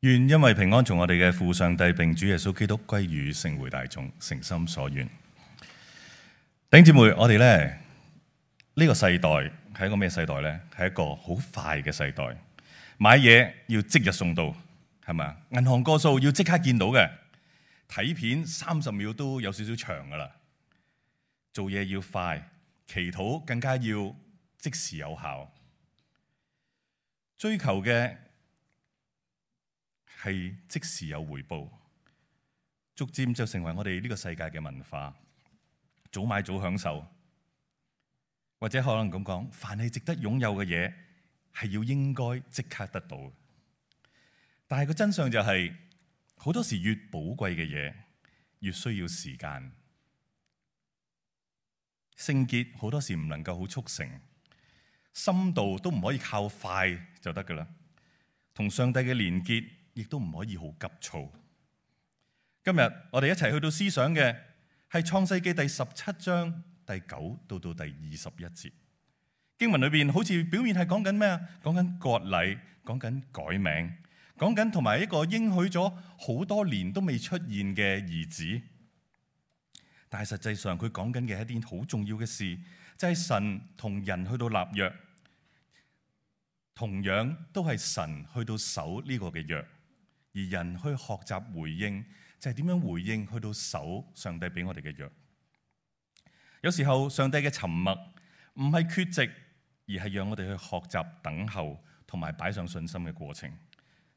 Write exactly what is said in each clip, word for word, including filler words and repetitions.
願因為平安從我哋嘅父上帝並主耶穌基督歸於聖會大眾，誠心所願。弟兄姊妹，我哋咧呢、呢個世代係一個咩世代呢？係一個好快嘅世代，買嘢要即日送到，係咪啊？銀行個數要即刻見到嘅，睇片三十秒都有少少長噶啦。做嘢要快，祈禱更加要即時有效，追求嘅係即時有回報，逐漸就成為我哋呢個世界嘅文化。早買早享受，或者可能咁講，凡係值得擁有嘅嘢，係要應該即刻得到。但係個真相就係，好多時越寶貴嘅嘢，越需要時間。聖潔好多時唔能夠好速成，深度都唔可以靠快就得噶啦。同上帝嘅連結，亦都唔可以好急躁。今日我哋一齊去到思想嘅係創世記第十七章第九到到第二十一節。經文裏邊好似表面係講緊咩啊？講緊割禮，講緊改名，講緊同埋一個應許咗好多年都未出現嘅兒子。但係實際上佢講緊嘅係一件好重要嘅事，就係神同人去到立約，同樣都係神去到守呢個嘅約。而人去學習回應，就係點樣回應去到守上帝俾我哋嘅約。有時候上帝嘅沉默唔係缺席，而係讓我哋去學習等候同埋擺上信心嘅過程。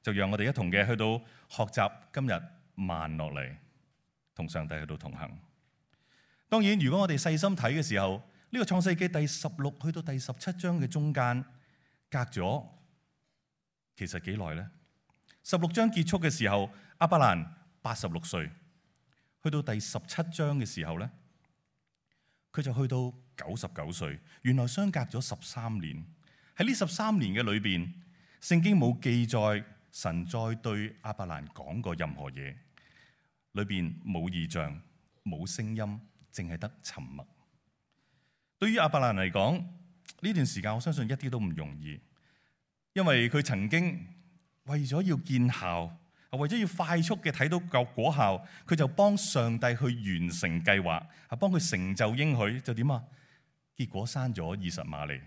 就讓我哋一同嘅去到學習今日慢落嚟，同上帝去到同行。當然，如果我哋細心睇嘅時候，呢個創世記第十六去到第十七章嘅中間隔咗，其實幾耐呢？十六章結束嘅時候，亞伯蘭八十六歲，去到第十七章嘅時候咧，佢就去到九十九歲。原來相隔咗十三年。喺呢十三年嘅裏邊，聖經冇記載神再對亞伯蘭講過任何嘢，裏邊冇異象、冇聲音，淨係得沉默。對於亞伯蘭嚟講，呢段時間我相信一啲都唔容易，因為佢曾經為咗要見效，為咗要快速嘅睇到個果效，佢就幫上帝去完成計劃，啊，幫佢成就應許，就點啊？結果生咗以實瑪利。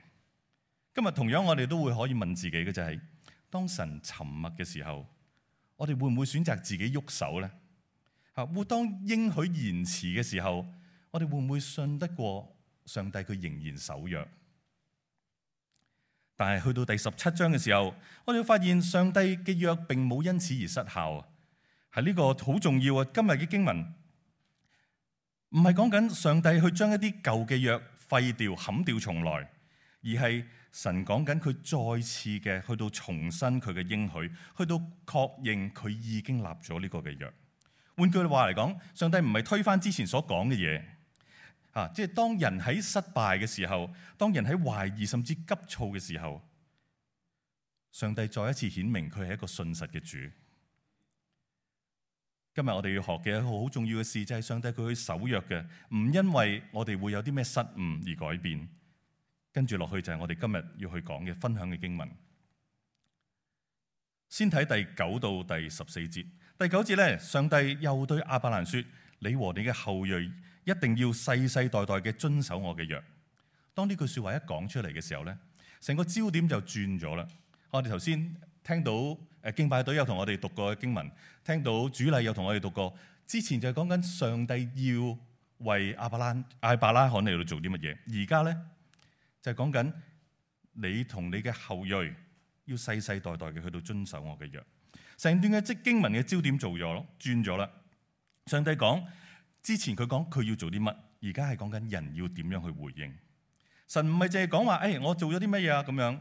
今日同樣我哋都會可以問自己嘅就係，當神沉默嘅時候，我哋會唔會選擇自己喐手呢？啊，會當應許延遲嘅時候，我哋會唔會信得過上帝佢仍然守約？但係去到第十七章嘅時候，我哋會發現上帝嘅約並冇因此而失效。係呢個好重要啊！今日嘅經文唔係講緊上帝去將一啲舊嘅約廢掉、砍掉重來，而係神講緊佢再次嘅去到重申佢嘅應許，去到確認佢已經立咗呢個嘅約。換句話嚟講，上帝唔係推翻之前所講嘅嘢。啊！即係當人喺失敗嘅時候，當人喺懷疑甚至急躁嘅時候，上帝再一次顯明佢係一個信實嘅主。今日我哋要學嘅一個好重要嘅事，就係上帝佢去守約嘅，唔因為我哋會有啲咩失誤而改變。跟住落去就係我哋今日要去講嘅分享嘅經文。先睇第九到第十四節。第九節咧，上帝又對亞伯蘭說：你和你嘅後裔一定要世世代代嘅遵守我嘅約。當呢句說話一講出嚟嘅時候咧，成個焦點就轉咗啦。我哋頭先聽到誒敬拜隊有同我哋讀過嘅經文，聽到主禮有同我哋讀過。之前就係講緊上帝要為亞伯蘭、亞伯拉罕嚟到做啲乜嘢，而家咧就係講緊你同你嘅後裔要世世代代嘅去到遵守我嘅約。成段嘅即經文嘅焦點做咗，轉咗啦。上帝講。之前佢講佢要做啲乜，而家係講緊人要點樣去回應。神唔係淨係講話，誒、哎，我做咗啲乜嘢啊咁樣。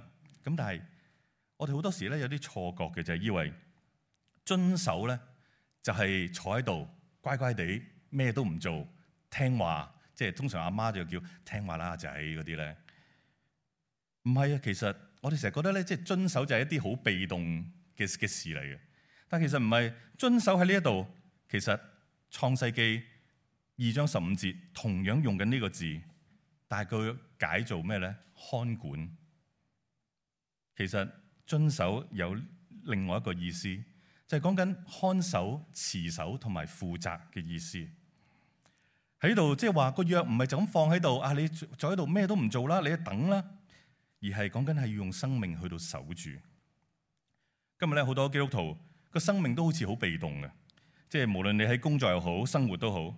咁但係我哋好多時咧有啲錯覺嘅，就係、是、以為遵守咧就係坐喺度乖乖地咩都唔做，聽話，即係通常阿媽就叫聽話啦，阿仔嗰啲咧。唔係啊，其實我哋成日覺得咧，即係遵守就係一啲好被動嘅嘅事嚟嘅。但其實唔係，遵守喺呢一度，其實創世記二章十五節同樣用緊呢個字，但係佢解做咩咧？看管。其實遵守有另外一個意思，就係講緊看守、持守同埋負責嘅意思。喺度即係話個約唔係就咁放喺度啊！你坐喺度咩都唔做啦，你等啦，而係講緊係要用生命去到守住。今日咧好多基督徒個生命都好似好被動嘅，即係無論你喺工作又好，生活都好，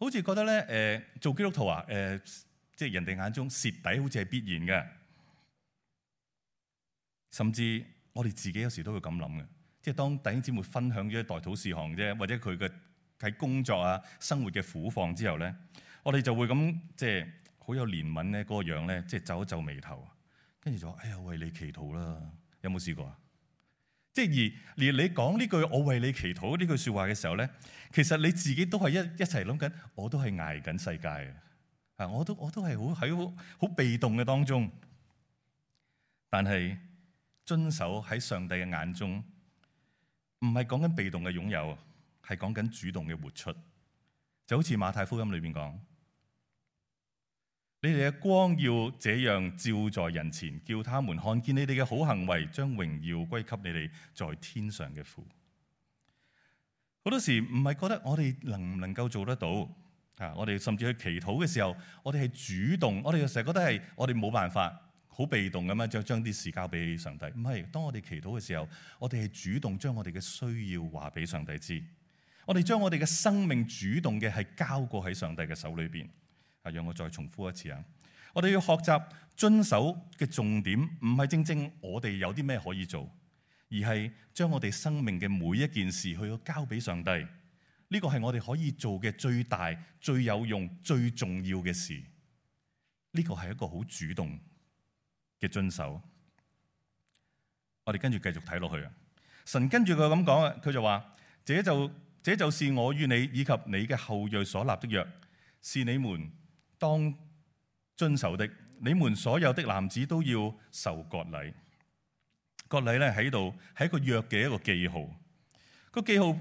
好似覺得咧誒、呃、做基督徒啊誒、呃，即係人哋眼中蝕底好似係必然嘅，甚至我哋自己有時都會咁諗嘅，即係當弟兄姊妹分享咗代禱事項啫，或者佢嘅喺工作啊、生活嘅苦況之後咧，我哋就會咁即係好有憐憫咧，嗰個樣咧，即係皺一皺眉頭，跟住就話：哎呀，為你祈禱啦！有冇試過啊？即係而連你講呢句我為你祈禱呢句説話嘅時候咧，其實你自己都係一一齊諗緊，我都係捱緊世界嘅啊！我都我都係好喺好好被動嘅當中，但係遵守喺上帝嘅眼中，唔係講緊被動嘅擁有。係講緊主動嘅活出，就好似馬太福音裏邊講：你哋嘅光要這樣照在人前，叫他們看見你哋嘅好行為，將榮耀歸給你哋在天上嘅父。好多時唔係覺得我哋能唔能夠做得到啊！我哋甚至去祈禱嘅時候，我哋係主動，我哋成日覺得係我哋冇辦法。好被動咁樣將將啲事交俾上帝。唔係，當我哋祈禱嘅時候，我哋係主動將我哋嘅需要話俾上帝知。我哋將我哋嘅生命主動嘅係交過喺上帝嘅手裏邊。啊，讓我再重複一次啊！我哋要學習遵守嘅重點，唔係正正我哋有啲咩可以做，而係將我哋生命嘅每一件事去交俾上帝。呢個係我哋可以做嘅最大、最有用、最重要嘅事。呢個係一個好主動嘅遵守。我哋跟住繼續睇落去啊！神跟住佢咁講啊，佢就話：這就這就是我與你以及你嘅後裔所立的約，是你們當遵守的。你們所有的男子都要受割禮。割禮咧喺度係一個約嘅一個記號。個記號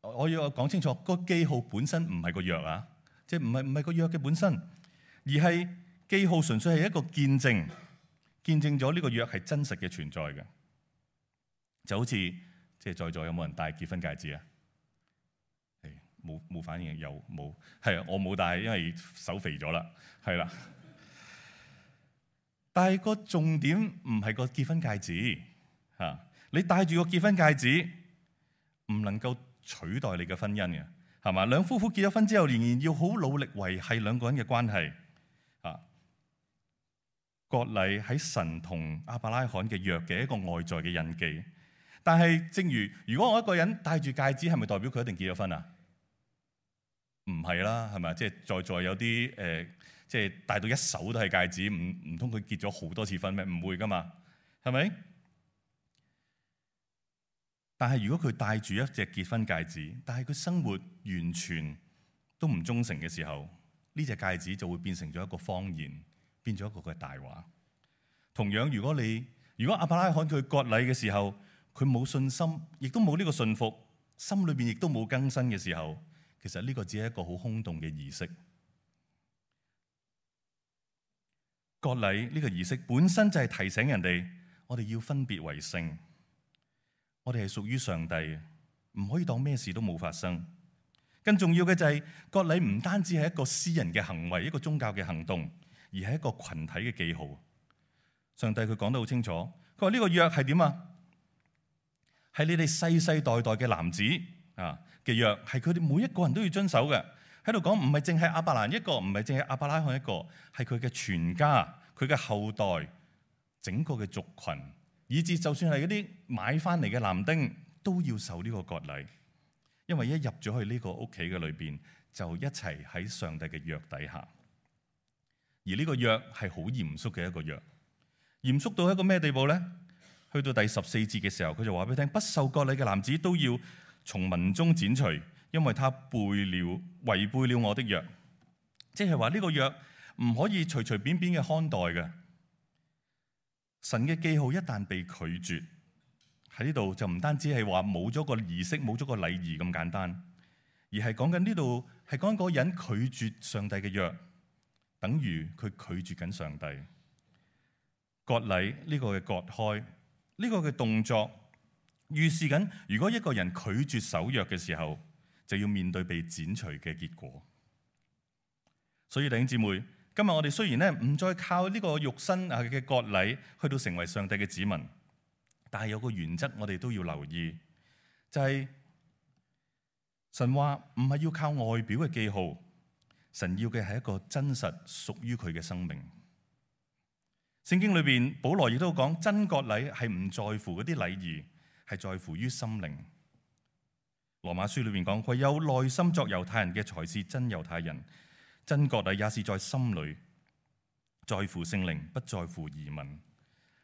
我要講清楚，個記號本身唔係個約啊，即係唔係唔係個約嘅本身，而係記號純粹係一個見證，見證咗呢個約係真實嘅存在嘅。就好似即係在座有冇人戴結婚戒指啊？冇冇反應？有冇？係啊，我冇戴，因為手肥咗啦。係啦，但係個重點唔係個結婚戒指嚇，你戴住個結婚戒指唔能夠取代你嘅婚姻嘅，係嘛？兩夫婦結咗婚之後，仍然要好努力維繫兩個人嘅關係啊。割禮喺神同亞伯拉罕嘅約嘅一個外在嘅印記，但係正如如果我一個人戴住戒指，係咪代表佢一定結咗婚啊？唔係啦，係咪？即係在座有啲誒、呃，即係戴到一手都係戒指，唔唔通佢結咗好多次婚咩？唔會噶嘛，係咪？但係如果佢戴住一隻結婚戒指，但係佢生活完全都唔忠誠嘅時候，呢隻戒指就會變成咗一個謊言，變咗一個嘅大話。同樣，如果你如果亞伯拉罕佢割禮嘅時候，佢冇信心，亦都冇呢個信服，心裏邊亦都冇更新嘅時候，其實呢個只係一個好空洞嘅儀式。割禮呢個儀式本身就係提醒人哋，我哋要分別為聖，我哋係屬於上帝嘅，唔可以當咩事都冇發生。更重要嘅就係割禮唔單止係一個私人嘅行為，一個宗教嘅行動，而係一個群體嘅記號。上帝佢講得好清楚，佢話呢個約係點啊？係你哋世世代代嘅男子啊嘅約，係佢哋每一個人都要遵守嘅。喺度講唔係淨係亞伯蘭一個，唔係淨係亞伯拉罕一個，係佢嘅全家、佢嘅後代、整個嘅族群，以至就算係嗰啲買翻嚟嘅男丁，都要受呢個割禮。因為一入咗去呢個屋企嘅裏邊，就一齊喺上帝嘅約底下。而呢個約係好嚴肅嘅一個約，嚴肅到一個咩地步咧？去到第十四節嘅時候，佢就話俾你聽：不受割禮嘅男子都要從民中剪除，因為他背了違背了我的約。即係話呢個約唔可以隨隨便便嘅看待嘅。神嘅記號一旦被拒絕，喺呢度就唔單止係話冇咗個儀式、冇咗個禮儀咁簡單，而係講緊呢度係講緊嗰個人拒絕上帝嘅約，等於佢拒絕緊上帝。割禮呢個嘅割開呢個嘅動作，預示緊如果一個人拒絕守約嘅時候，就要面對被剪除嘅結果。所以弟兄姊妹，今日我哋雖然咧唔再靠呢個肉身啊嘅割禮去到成為上帝嘅子民，但係有個原則我哋都要留意，就係神話唔係要靠外表嘅記號，神要嘅係一個真實屬於佢嘅生命。聖經裏邊保羅亦都講，真割禮係唔在乎嗰啲禮儀，係在乎於心靈。羅馬書裏邊講，唯有內心作猶太人嘅才是真猶太人，真割禮也是在心裏，在乎聖靈，不在乎儀文。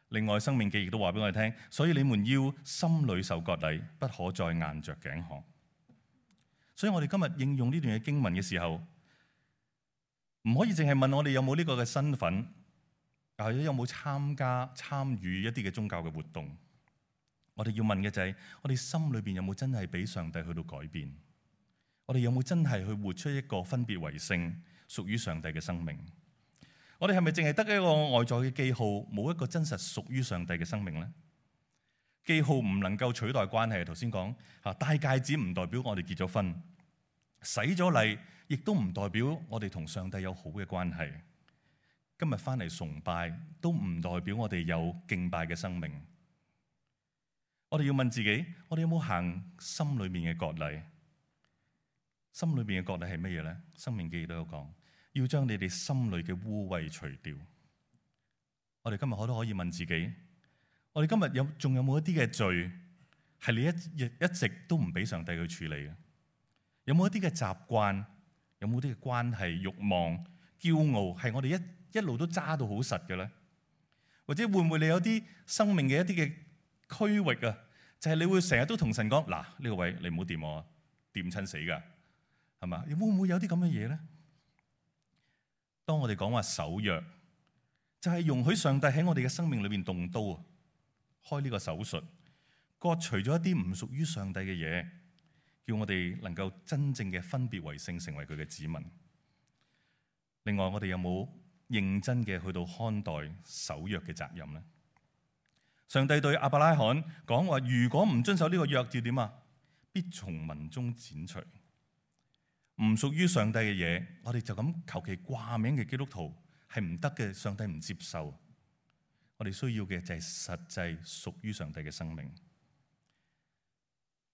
另外申命記亦都話俾我哋聽，所以你們要心裏受割禮，不可再硬着頸項。所以我哋今日應用呢段嘅經文嘅時候，唔可以淨係問我哋有冇呢個嘅身份，或者有冇參加參與一啲嘅宗教嘅活動。我哋要問嘅就係，我哋心裏邊有冇真係俾上帝去到改變？我哋有冇真係去活出一個分別為聖、屬於上帝嘅生命？我哋係咪淨係得一個外在嘅記號，冇一個真實屬於上帝嘅生命呢？記號唔能夠取代關係。頭先講吓，戴戒指唔代表我哋結咗婚，洗咗禮亦都唔代表我哋同上帝有好嘅關係。今日翻嚟崇拜都唔代表我哋有敬拜嘅生命。我哋要問自己，我哋有冇行心裏面嘅割禮？心裏面嘅割禮係乜嘢咧？申命記都有講，要將你哋心裏嘅污穢除掉。我哋今日我都可以問自己，我哋今日有仲有冇一啲嘅罪係你一一一直都唔俾上帝去處理嘅？有冇一啲嘅習慣？有冇啲嘅關係、慾望、驕傲係我哋一一路都揸到好實嘅咧？或者會唔會你有啲生命嘅一啲嘅區域啊，就係你會成日都同神講，嗱，呢個位你唔好掂我，掂親死噶，係嘛？會唔會有啲咁嘅嘢咧？當我哋講話守約，就係容許上帝喺我哋嘅生命裏邊動刀啊，開呢個手術，割除咗一啲唔屬於上帝嘅嘢，叫我哋能夠真正嘅分別為聖，成為佢嘅子民。另外，我哋有冇認真嘅去到看待守約嘅責任咧？上帝對亞伯拉罕講話，如果唔遵守呢個約，要點啊？必從民中剪除。唔屬於上帝嘅嘢，我哋就咁求其掛名嘅基督徒係唔得嘅，上帝唔接受。我哋需要嘅就係實際屬於上帝嘅生命。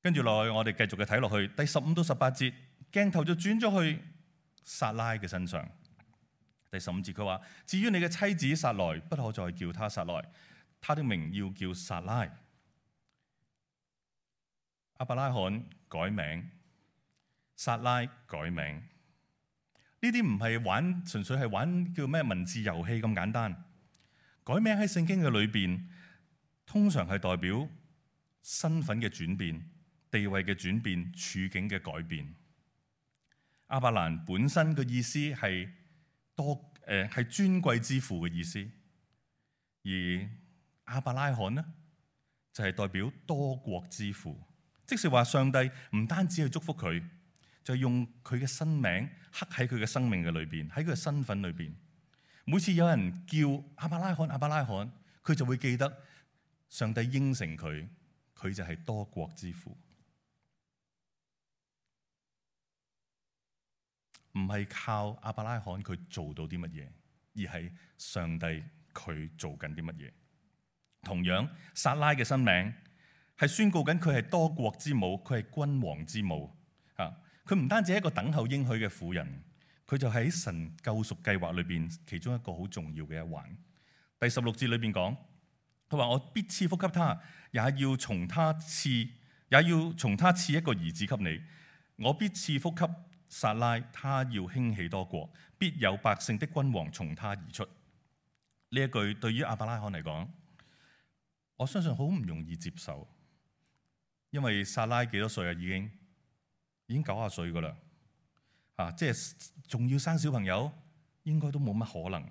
跟住落去，我哋繼續嘅睇落去，第十五到十八節，鏡頭就轉咗去撒拉嘅身上。第十五節佢話：至於你嘅妻子撒萊，不可再叫她撒萊，他的名要叫撒拉。亞伯拉罕改名，撒拉改名，呢啲唔係玩，純粹係玩叫咩文字遊戲咁簡單。改名喺聖經嘅裏邊，通常係代表身份嘅轉變、地位嘅轉變、處境嘅改變。亞伯蘭本身嘅意思係多誒係尊貴之父嘅意思，而亞伯拉罕呢，就係代表多國之父，即是話上帝唔單止去祝福佢，就用佢嘅新名刻喺佢嘅生命嘅裏邊，喺佢嘅身份裏邊。每次有人叫亞伯拉罕、亞伯拉罕，佢就會記得上帝應承佢，佢就係多國之父。唔係靠亞伯拉罕佢做到啲乜嘢，而係上帝佢做緊啲乜嘢。同樣，撒拉嘅新名係宣告緊佢係多國之母，佢係君王之母啊！佢唔單止係一個等候應許嘅婦人，佢就喺神救贖計劃裏邊其中一個好重要嘅一環。第十六節裏邊講，佢話：我必賜福給他，也要從他賜，也要從他賜一個兒子給你。我必賜福給撒拉，他要興起多國，必有百姓的君王從他而出。呢一句對於亞伯拉罕嚟講，我相信好唔容易接受，因為撒拉幾多歲啊？已經已經九十歲噶啦，啊，即係仲要生小朋友，應該都冇乜可能。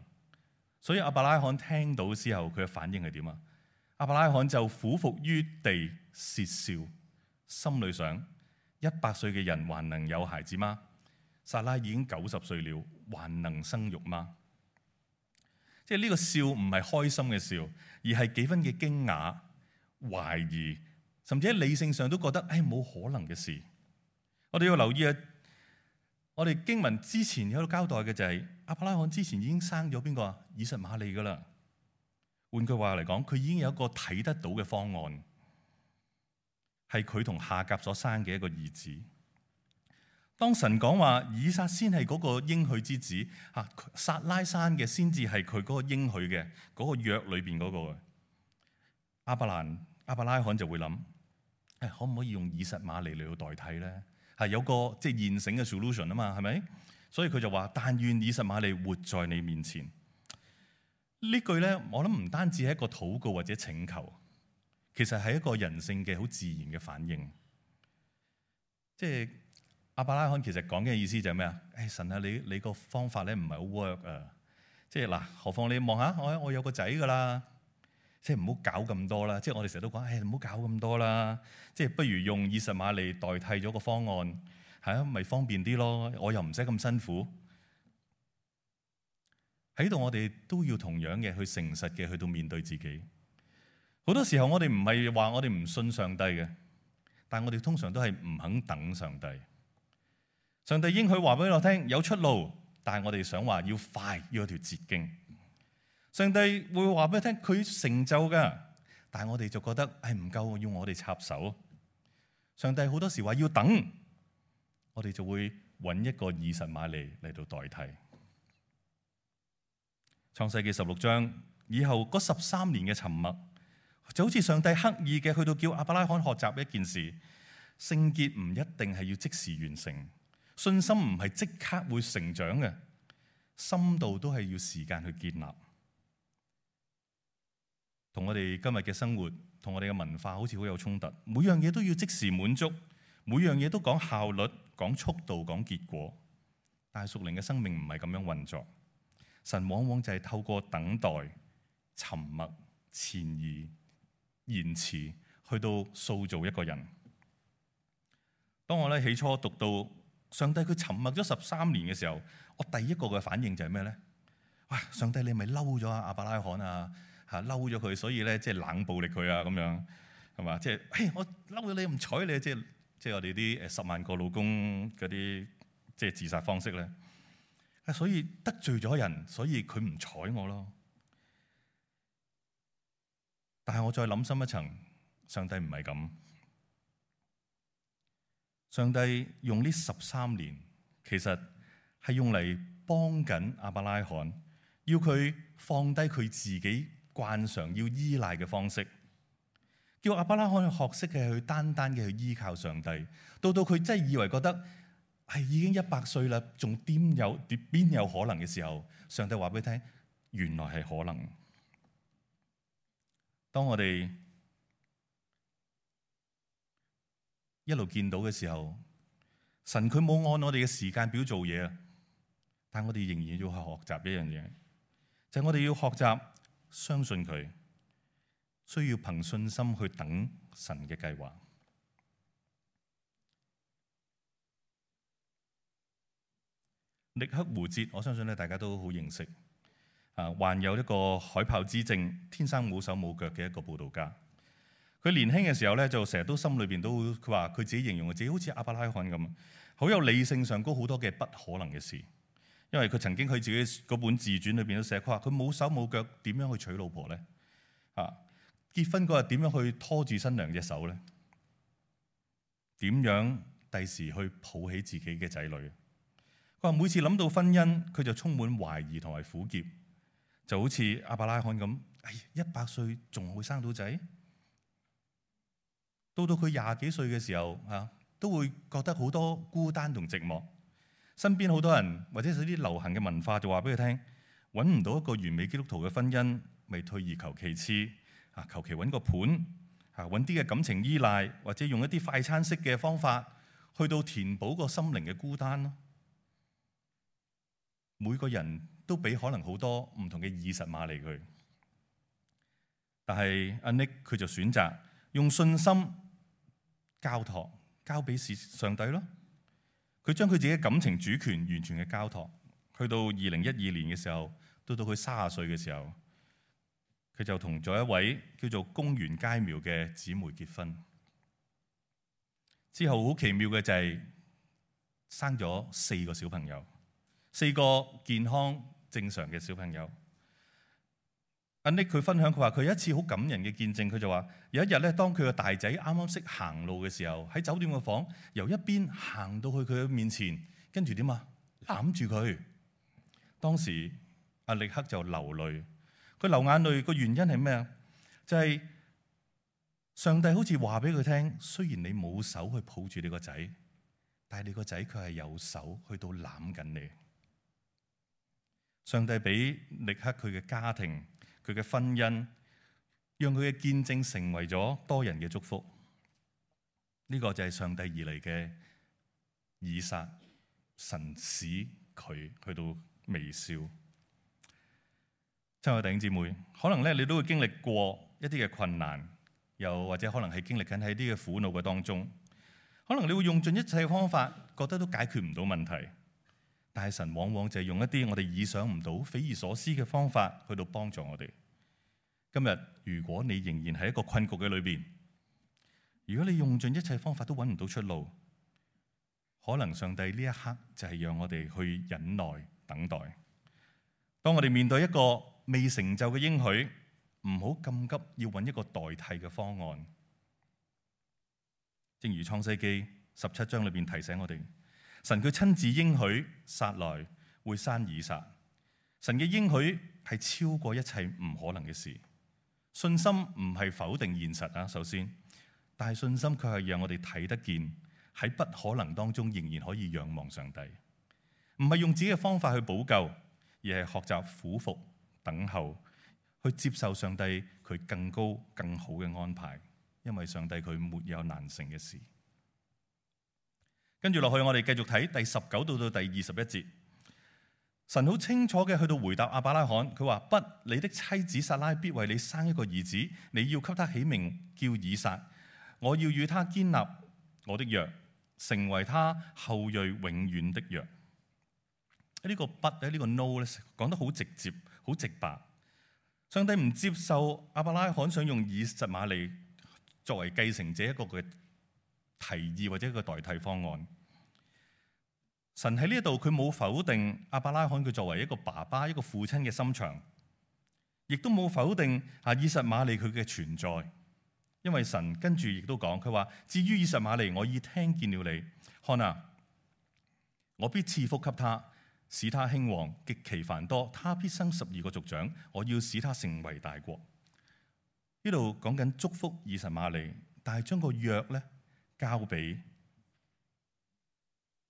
所以亞伯拉罕聽到之後，佢嘅反應係點啊？亞伯拉罕就俯伏於地竊笑，心裏想：一百歲嘅人還能有孩子嗎？撒拉已經九十歲了，還能生育嗎？即係呢個笑唔係開心嘅笑，而係幾分嘅驚訝、懷疑甚至喺理性上都覺得誒冇可能嘅事。我哋要留意啊！我哋經文之前喺度交代嘅就係亞伯拉罕之前已經生咗邊個啊？以實瑪利噶啦。換句話嚟講，佢已經有一個睇得到嘅方案，係佢同夏甲所生嘅一個兒子。當神講話以撒先係嗰個應許之子，吓撒拉生嘅先至係佢嗰個應許嘅嗰個約裏邊嗰個。亞伯蘭亞伯拉罕就會諗，誒可唔可以用以實瑪利嚟到代替咧？係有個即係現成嘅 solution 啊嘛，係咪？所以佢就話：但願以實瑪利活在你面前。呢句咧，我諗唔單止係一個禱告或者請求，其實係一個人性嘅好自然嘅反應。即係亞伯拉罕其實講嘅意思就係咩啊？誒神啊，你你個方法咧唔係好 work 啊！即係嗱，何況你望下我，我有個仔噶啦，即係唔好搞咁多啦。即係我哋成日都講，誒唔好搞咁多啦。即係不如用以實瑪利代替咗個方案，係啊，咪方便啲咯。我又唔使咁辛苦。喺度我哋都要同樣嘅去誠實嘅去到面對自己。好多時候我哋唔係話我哋唔信上帝嘅，但係我哋通常都係唔肯等上帝。上帝應許話俾我聽有出路，但係我哋想話要快，要有條捷徑。上帝會話俾你聽佢成就㗎，但係我哋就覺得係唔夠，要我哋插手。上帝好多時話要等，我哋就會揾一個以實瑪利嚟到代替。創世記十六章以後嗰十三年嘅沉默，就好似上帝刻意嘅去到叫亞伯拉罕學習一件事：聖潔唔一定係要即時完成，信心唔係即刻會成長嘅，深度都係要時間去建立。同我哋今日嘅生活，同我哋嘅文化好似好有衝突，每樣嘢都要即時滿足，每樣嘢都講效率、講速度、講結果。但係屬靈嘅生命唔係咁樣運作。神往往就係透過等待、沉默、潛移、延遲，去到塑造一個人。當我咧起初讀到上帝佢沉默咗十三年嘅時候，我第一個嘅反應就係咩咧？哇！上帝你咪嬲咗阿亞伯拉罕啊，嚇嬲咗佢，所以咧即係冷暴力佢啊咁樣，係嘛？即係嘿我嬲咗你唔睬你，即係即係我哋啲誒十萬個老公嗰啲即係自殺方式咧。所以得罪咗人，所以佢唔睬我咯。但係我再諗深一層，上帝唔係咁。上帝用呢十三年，其實係用嚟幫緊亞伯拉罕，要佢放低佢自己慣常要依賴嘅方式，叫亞伯拉罕去學識嘅去單單嘅去依靠上帝。到到佢真係以為覺得係已經一百歲啦，仲點有邊有可能嘅時候，上帝話俾你聽，原來係可能。當我哋一路見到嘅時候，神佢冇按我哋嘅時間表做嘢啊，但我哋仍然要去學習一樣嘢，就係我哋要學習相信佢，需要憑信心去等神嘅計劃。力克胡哲，我相信咧大家都好認識，啊，患有一個海豹之症，天生冇手冇腳嘅一個佈道家。佢年輕嘅時候咧，就成日都心裏邊都，佢話佢自己形容自己好似亞伯拉罕咁，好有理性上高好多嘅不可能嘅事。因為佢曾經佢自己嗰本自傳裏邊都寫，佢話佢冇手冇腳，點樣去娶老婆咧？啊，結婚嗰日點樣去拖住新娘隻手咧？點樣第時去抱起自己嘅仔女？佢話每次諗到婚姻，佢就充滿懷疑同埋苦澀，就好似亞伯拉罕咁，哎，一百歲仲會生到仔？到到佢廿幾歲嘅時候，嚇都會覺得好多孤單同寂寞。身邊好多人或者係啲流行嘅文化就話俾佢聽，揾唔到一個完美基督徒嘅婚姻，咪退而求其次，啊，求其揾個伴，啊，揾啲嘅感情依賴，或者用一啲快餐式嘅方法，去到填補個心靈嘅孤單咯。每個人都俾可能好多唔同嘅以實瑪利佢，但係阿 Nick 佢就選擇用信心交託，交俾上帝咯。佢將佢自己嘅感情主權完全嘅交託。去到二零一二年嘅時候，到到佢三十歲嘅時候，佢就同咗一位叫做宮原佳苗嘅姊妹結婚。之後好奇妙嘅就係生咗四個小朋友，四個健康正常嘅小朋友。阿 Nick 佢分享，佢話佢有一次好感人嘅見證，佢就話有一日咧，當佢個大仔啱啱識行路嘅時候，喺酒店嘅房，由一邊行到去佢嘅面前，跟住點啊？攬住佢。當時阿力克就流淚，佢流眼淚個原因係咩啊？就係上帝好似話俾佢聽，雖然你冇手去抱住你個仔，但係你個仔佢係有手去到攬緊你。上帝俾力克佢嘅家庭，佢嘅婚姻，讓佢嘅見證成為咗多人嘅祝福。呢、這個就係上帝而嚟嘅以撒，神使佢去到微笑。親愛弟兄姊妹，可能咧你都會經歷過一啲嘅困難，又或者可能係經歷緊喺啲嘅苦惱嘅當中，可能你會用盡一切嘅方法，覺得都解決唔到問題。但係神往往就係用一啲我哋意想唔到、匪夷所思嘅方法去到幫助我哋。今日如果你仍然喺一個困局嘅裏邊，如果你用盡一切方法都揾唔到出路，可能上帝呢一刻就係讓我哋去忍耐等待。當我哋面對一個未成就嘅應許，唔好咁急要揾一個代替嘅方案。正如創世記十七章裏邊提醒我哋，神佢親自應許撒萊會生以撒。神嘅應許係超過一切唔可能嘅事。信心唔係否定現實啊，首先，但係信心卻係讓我哋睇得見喺不可能當中仍然可以仰望上帝。唔係用自己嘅方法去補救，而係學習俯伏等候，去接受上帝佢更高更好嘅安排。因為上帝佢沒有難成嘅事。跟住落去，我哋繼續睇第十九到到第二十一節。神好清楚嘅去到回答亞伯拉罕，佢話：不，你的妻子撒拉必為你生一個兒子，你要給他起名叫以撒。我要與他堅立我的約，成為他後裔永遠的約。呢個不咧，呢個 no 咧，講得好直接，好直白。上帝唔接受亞伯拉罕想用以實瑪利作為繼承者一個嘅提議或者一個代替方案。神喺呢一度佢冇否定亞伯拉罕佢作為一個爸爸一個父親嘅心腸，亦都冇否定啊以實瑪利佢嘅存在。因為神跟住亦都講，佢話：至於以實瑪利，我已聽見了你，看啊，我必賜福給他，使他興旺，極其繁多，他必生十二個族長，我要使他成為大國。呢度講緊祝福以實瑪利，但係將個約咧交俾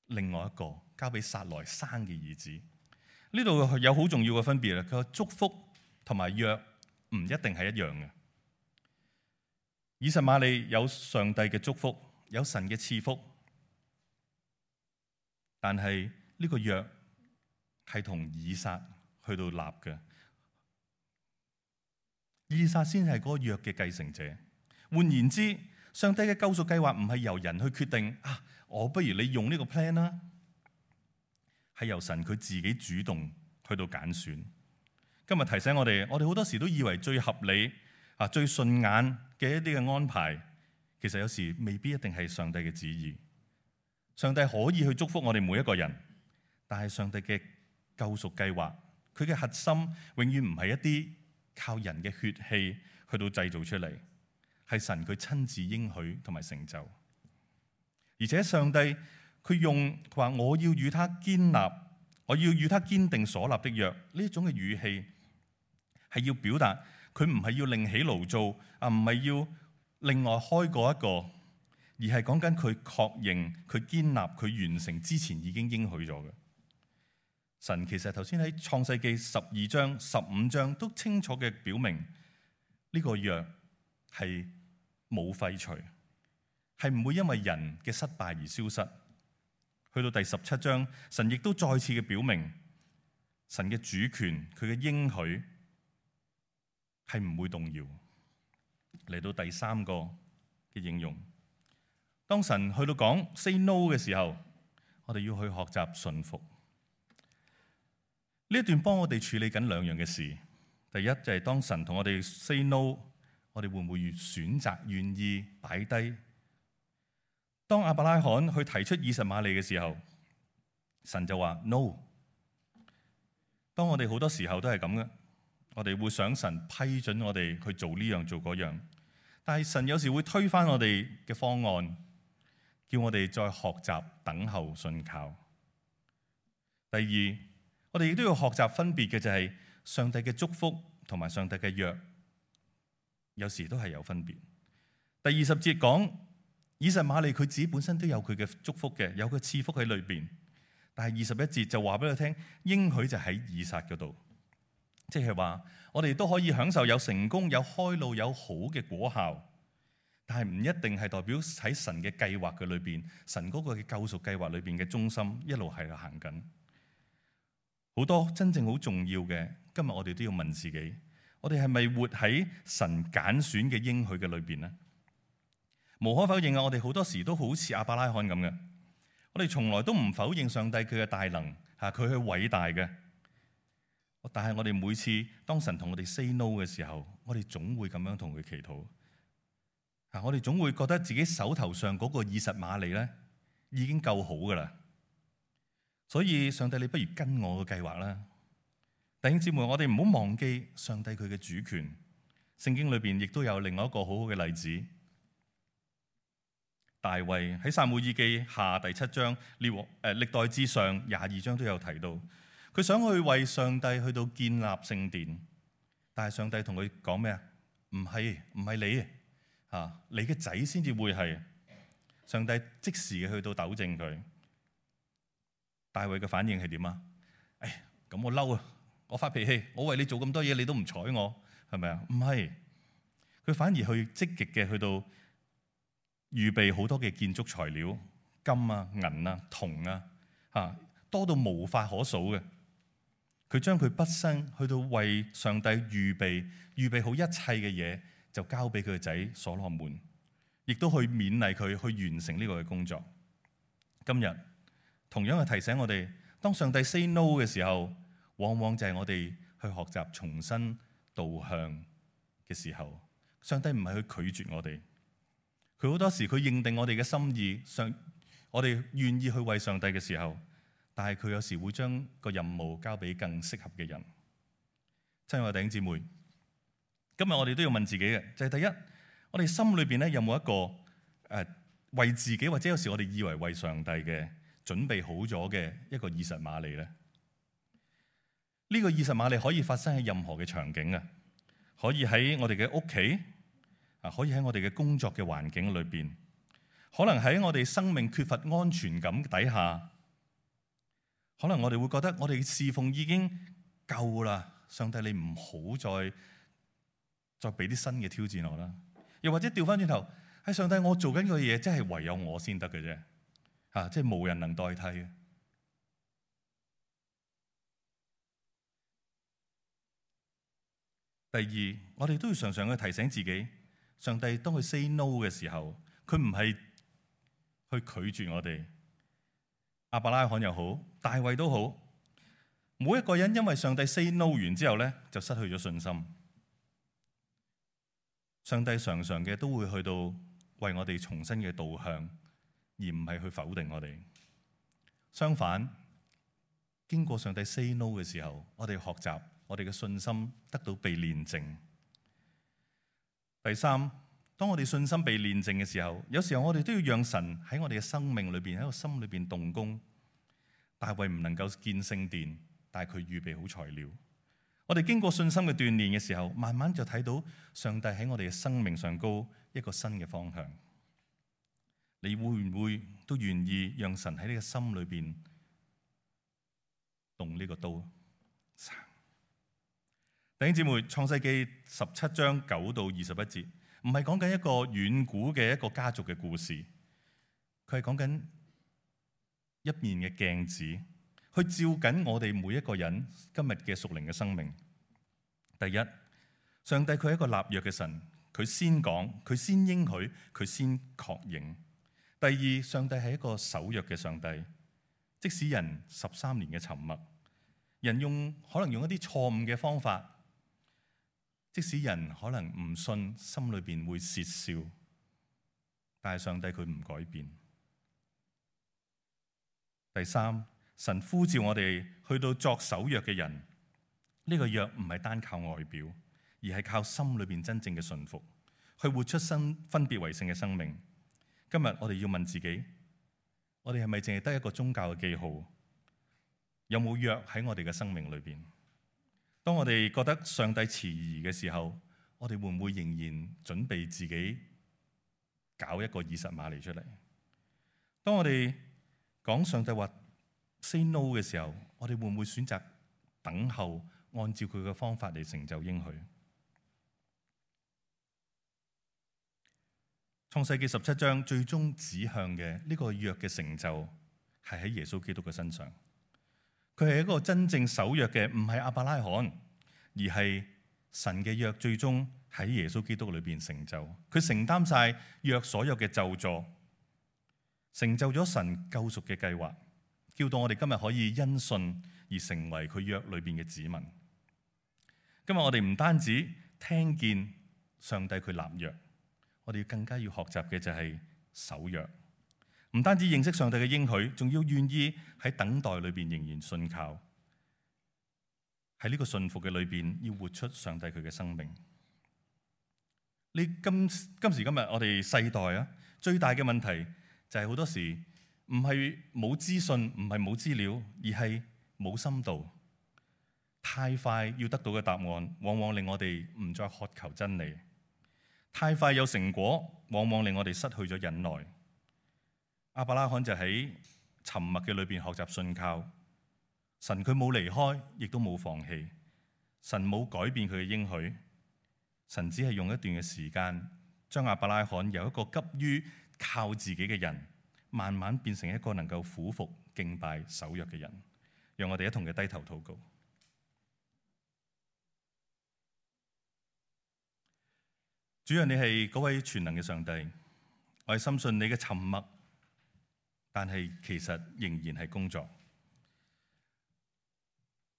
另外一個，交俾撒萊生嘅兒子。呢度有好重要嘅分別啦。佢話祝福同埋約唔一定係一樣嘅。以實瑪利有上帝嘅祝福，有神嘅賜福，但係呢個約係同以撒去到立嘅。以撒先係嗰個約嘅繼承者。換言之，上帝嘅救贖計劃唔係由人去決定啊，我不如你用呢個 plan 啦，係由神佢自己主動去到揀選。今日提醒我哋，我哋好多時都以為最合理啊、最順眼嘅一啲嘅安排，其實有時未必一定係上帝嘅旨意。上帝可以去祝福我哋每一個人，但係上帝嘅救贖計劃，佢嘅核心永遠唔係一啲靠人嘅血氣去到製造出嚟，係神佢親自應許同埋成就。而且上帝佢用佢話我要與他堅立，我要與他堅定所立的約，呢一種嘅語氣係要表達佢唔係要另起爐灶啊，唔係要另外開過一個，而係講緊佢確認佢堅立佢完成之前已經應許咗嘅。神其實頭先喺創世記十二章、十五章都清楚嘅表明呢個約係冇廢除，係唔會因為人嘅失敗而消失。去到第十七章，神亦都再次嘅表明神嘅主權，佢嘅應許係唔會動搖。嚟到第三個嘅應用，當神去到講 say no 嘅時候，我哋要去學習順服。呢一段幫我哋處理緊兩樣嘅事。第一就係當神同我哋 say no， 我哋會唔會越選擇願意擺低？當亞伯拉罕去提出以實瑪利嘅時候，神就話 no。當我哋好多時候都係咁嘅，我哋會想神批准我哋去做呢樣做嗰樣，但係神有時會推翻我哋嘅方案，叫我哋再學習等候信靠。第二，我哋亦都要學習分別嘅就係上帝嘅祝福同埋上帝嘅約，有時都係有分別。第二十節講以實瑪利佢自己本身都有佢嘅祝福嘅，有佢賜福喺裏邊。但係二十一節就話俾佢聽，應許就喺以撒嗰度，即係話我哋都可以享受有成功、有開路、有好嘅果效，但係唔一定係代表喺神嘅計劃嘅裏邊，神嗰個嘅救贖計劃裏邊嘅中心一路係行緊。好多真正好重要嘅，今日我哋都要問自己，我哋係咪活喺神揀選嘅應許嘅裏邊呢？無可否認啊，我哋好多時都好似亞伯拉罕咁嘅。我哋從來都唔否認上帝佢嘅大能，嚇佢係偉大嘅。但係我哋每次當神同我哋 say no 嘅時候，我哋總會咁樣同佢祈禱。嚇，我哋總會覺得自己手頭上嗰個以實瑪利咧已經夠好噶啦。所以上帝，你不如跟我嘅計劃啦。弟兄姊妹，我哋唔好忘記上帝佢嘅主權。聖經裏邊亦都有另外一個好好嘅例子。大衛喺撒母耳記下第七章，列誒歷代志上廿二章都有提到，佢想去為上帝去到建立聖殿，但係上帝同佢講咩啊？唔係唔係你啊，你嘅仔先至會係。上帝即時嘅去到糾正佢。大衛嘅反應係點啊？誒，咁我嬲啊，我發脾氣，我為你做咁多嘢，你都唔睬我，係咪啊？唔係，佢反而去積極嘅去到。預備好多嘅建築材料，金啊、銀啊、銅啊，嚇多到無法可數嘅。佢將佢畢生去到為上帝預備預備好一切嘅嘢，就交俾佢嘅仔所羅門，亦都去勉勵佢去完成呢個嘅工作。今日同樣係提醒我哋，當上帝 say no 嘅時候，往往就係我哋去學習重新導向嘅時候。上帝唔係去拒絕我哋。佢好多時佢認定我哋嘅心意，上我哋願意去為上帝嘅時候，但係佢有時會將個任務交俾更適合嘅人。親愛的弟兄姊妹，今日我哋都要問自己嘅，就係、是、第一，我哋心裏邊咧有冇一個誒、呃、為自己或者有時我哋以為為上帝嘅準備好咗嘅一個以實瑪利咧？呢、這個以實瑪利可以發生喺任何嘅場景啊，可以喺我哋嘅屋企。可以喺我哋嘅工作嘅環境裏邊，可能喺我哋生命缺乏安全感底下，可能我哋會覺得我哋嘅侍奉已經夠啦，上帝你唔好再再俾啲新嘅挑戰我啦。又或者調翻轉頭，喺上帝我做緊嘅嘢，真係唯有我先得嘅啫，嚇，即係無人能代替嘅。第二，我哋都要常常去提醒自己。上帝當佢 say no 嘅時候，佢唔係去拒絕我哋。亞伯拉罕又好，大衛都好，每一個人因為上帝 say no 完之後咧，就失去咗信心。上帝常常嘅都會去到為我哋重新嘅導向，而唔係去否定我哋。相反，經過上帝 say no 嘅時候，我哋學習，我哋嘅信心得到被煉淨。第三，當我哋信心被煉淨嘅時候，有時候我哋都要讓神喺我哋嘅生命裏邊，喺個心裏邊動工。大衛唔能夠建聖殿，但係佢預備好材料。我哋經過信心嘅鍛煉嘅時候，慢慢就睇到上帝喺我哋嘅生命上高一個新嘅方向。你會唔會都願意讓神喺呢個心裏邊動呢個刀？弟兄姊妹，創世記十七章九到二十一節，唔係講緊一個遠古嘅一個家族嘅故事，佢係講緊一面嘅鏡子，去照緊我哋每一個人今日嘅屬靈嘅生命。第一，上帝佢係一個立約嘅神，佢先講，佢先應許，佢先確認。第二，上帝係一個守約嘅上帝，即使人十三年嘅沉默，人用可能用一啲錯誤嘅方法。即使人可能唔信，心裏邊會竊笑，但係上帝佢唔改變。第三，神呼召我哋去到作守約嘅人，呢個約唔係單靠外表，而係靠心裏邊真正嘅順服，去活出新分別為聖嘅生命。今日我哋要問自己，我哋係咪淨係得一個宗教嘅記號？有冇約喺我哋嘅生命裏邊？當我哋覺得上帝遲疑嘅時候，我哋會唔會仍然準備自己搞一個以實瑪利出嚟？當我哋講上帝話 say no 嘅時候，我哋會唔會選擇等候，按照佢嘅方法嚟成就應許？創世記十七章最終指向嘅呢個約嘅成就係喺耶穌基督嘅身上。佢係一個真正守約嘅，唔係亞伯拉罕，而係神嘅約最終喺耶穌基督裏邊成就。佢承擔晒約所有嘅咒詛，成就咗神救贖嘅計劃，叫到我哋今日可以因信而成為佢約裏邊嘅子民。今日我哋唔單止聽見上帝佢立約，我哋更加要學習嘅就係守約。唔單止認識上帝嘅應許，仲要願意喺等待裏邊仍然信靠，喺呢個信服嘅裏邊要活出上帝佢嘅生命。你今今時今日我哋世代啊，最大嘅問題就係好多時唔係冇資訊，唔係冇資料，而係冇深度。太快要得到嘅答案，往往令我哋唔再渴求真理。太快有成果，往往令我哋失去咗忍耐。亞伯拉罕就喺沉默嘅裏邊學習信靠神，佢冇離開，亦都冇放棄。神冇改變佢嘅應許，神只係用一段嘅時間，將亞伯拉罕由一個急於靠自己嘅人，慢慢變成一個能夠俯伏敬拜守約嘅人。讓我哋一同嘅低頭禱告。主啊，你係嗰位全能嘅上帝，我係深信你嘅沉默，但係其實仍然係工作。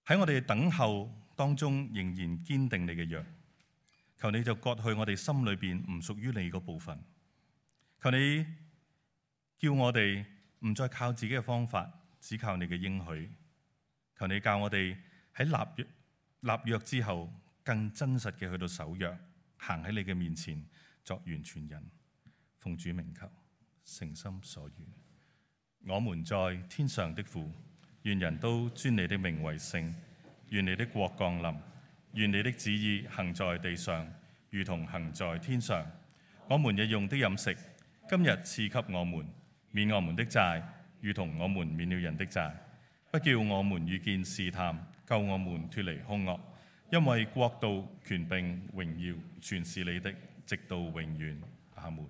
喺我哋等候當中，仍然堅定你嘅約。求你就割去我哋心裏邊唔屬於你嗰部分。求你叫我哋唔再靠自己嘅方法，只靠你嘅應許。求你教我哋喺立約立約之後，更真實嘅去到守約，行喺你嘅面前作完全人。奉主名求，誠心所願。我們在天上的父，願人都尊你的名為聖。願你的國降臨，願你的旨意行在地上，如同行在天上。我們日用的飲食，今日賜給我們，免我們的債，如同我們免了人的債。不叫我們遇見試探，救我們脫離兇惡。因為國度、權柄、榮耀，全是你的，直到永遠。阿們。